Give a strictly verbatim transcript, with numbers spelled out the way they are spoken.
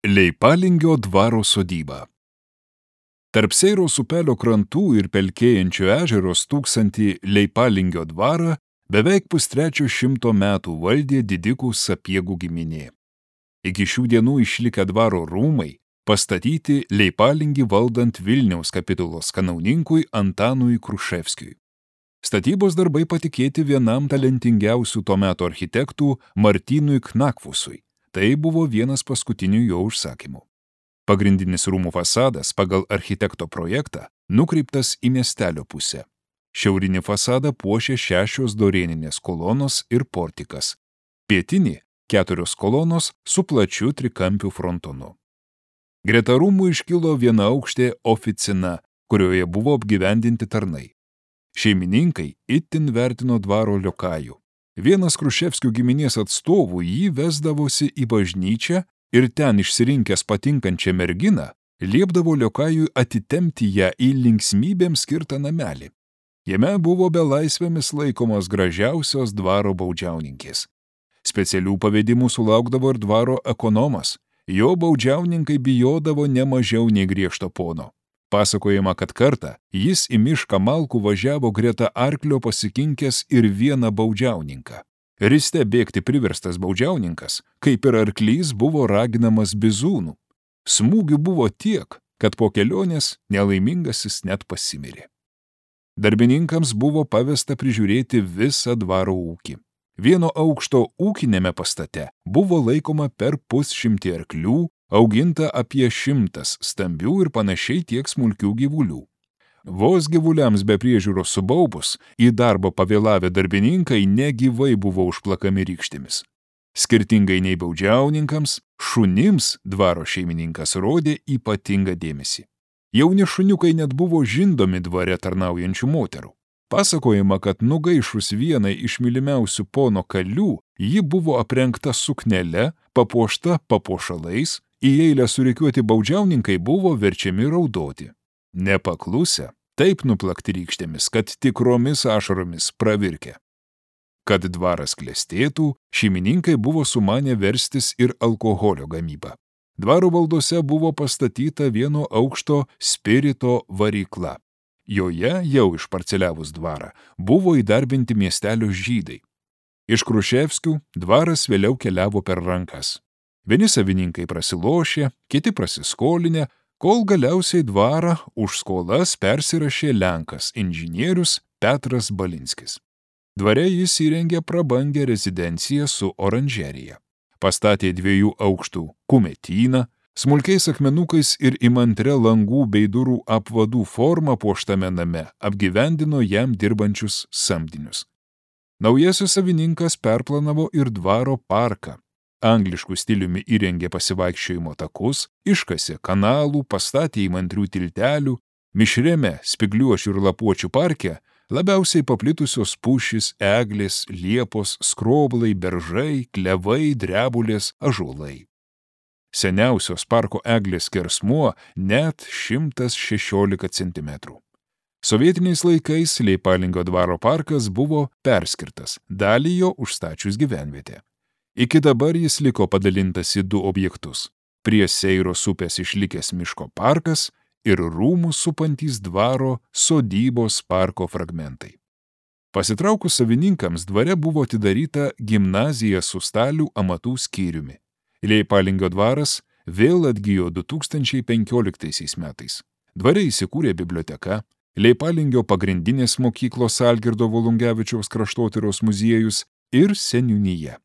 Leipalingio dvaro sodyba. Tarp Seiros upelio krantų ir pelkėjančio ežero stūksantį Leipalingio dvarą beveik pustrečio šimto metų valdė didikų Sapiegų giminė. Iki šių dienų išlikę dvaro rūmai pastatyti Leipalingį valdant Vilniaus kapitulos kanauninkui Antanui Kruševskiui. Statybos darbai patikėti vienam talentingiausių to meto architektų Martynui Knakfusui. Tai buvo vienas paskutinių jo užsakymų. Pagrindinis rūmų fasadas pagal architekto projektą nukreiptas į miestelio pusę. Šiaurinį fasadą puošė šešios dorėninės kolonos ir portikas. Pietinį keturios kolonos su plačiu trikampiu frontonu. Greta rūmų iškilo vienaaukštė oficina, kurioje buvo apgyvendinti tarnai. Šeimininkai itin vertino dvaro liokajų. Vienas Kruševskių giminės atstovų jį vesdavosi į bažnyčią ir ten išsirinkęs patinkančią merginą, liepdavo liokajui atitempti ją į linksmybėms skirtą namelį. Jame buvo belaisvėmis laikomos gražiausios dvaro baudžiauninkės. Specialių pavedimų sulaukdavo ir dvaro ekonomas. Jo baudžiauninkai bijodavo ne mažiau nei griežto pono. Pasakojama, kad kartą jis į mišką malkų važiavo greta arklio pasikinkęs ir vieną baudžiauninką. Riste bėgti priverstas baudžiauninkas, kaip ir arklys, buvo raginamas bizūnų. Smūgių buvo tiek, kad po kelionės nelaimingasis net pasimirė. Darbininkams buvo pavesta prižiūrėti visą dvaro ūkį. Vieno aukšto ūkinėme pastate buvo laikoma per pusšimtį arklių, auginta apie šimtas stambių ir panašiai tiek smulkių gyvulių. Vos gyvuliams be priežiūros subaubus, į darbą pavėlavę darbininkai negyvai buvo užplakami rykštėmis. Skirtingai nei baudžiauninkams, šunims dvaro šeimininkas rodė ypatingą dėmesį. Jauni šuniukai net buvo žindomi dvare tarnaujančių moterų. Pasakojama, kad nugaišus vienai iš mylimiausių pono kalių, ji buvo aprengta suknele, papuošta papuošalais, į eilę surikiuoti baudžiauninkai buvo verčiami raudoti. Nepaklusę, taip nuplakti rykštėmis, kad tikromis ašaromis pravirkė. Kad dvaras klestėtų, šeimininkai buvo sumanę verstis ir alkoholio gamybą. Dvaro valdose buvo pastatyta vieno aukšto spirito varykla. Joje, jau išparceliavus dvarą, buvo įdarbinti miestelio žydai. Iš Kruševskių dvaras vėliau keliavo per rankas. Vieni savininkai prasilošė, kiti prasiskolinę, kol galiausiai dvarą už skolas persirašė lenkas inžinierius Petras Balinskis. Dvare jis įrengė prabangę rezidenciją su oranžerija. Pastatė dviejų aukštų kumetyną, smulkiais akmenukais ir įmantre langų bei durų apvadų formą puoštame name apgyvendino jam dirbančius samdinius. Naujasis savininkas perplanavo ir dvaro parką. Angliškų stiliumi įrengė pasivaikščiojimo takus, iškasė kanalų, pastatė įmantrių tiltelių, mišriame spigliuočių ir lapuočių parke labiausiai paplitusios pušys, eglės, liepos, skroblai, beržai, klevai, drebulės, ąžuolai. Seniausios parko eglės skersmuo net šimtas šešiolika centimetrų. Sovietiniais laikais Leipalingio dvaro parkas buvo perskirtas, dalį jo užstačius gyvenvietę. Iki dabar jis liko padalintas į du objektus – prie Seiros upės išlikęs miško parkas ir rūmus supantys dvaro sodybos parko fragmentai. Pasitraukus savininkams dvare buvo atidaryta gimnazija su stalių amatų skyriumi. Leipalingio dvaras vėl atgijo du tūkstančiai penkioliktaisiais metais. Dvare įsikūrė biblioteka, Leipalingio pagrindinės mokyklos Algirdo Volungevičiaus kraštotyros muziejus ir seniūnija.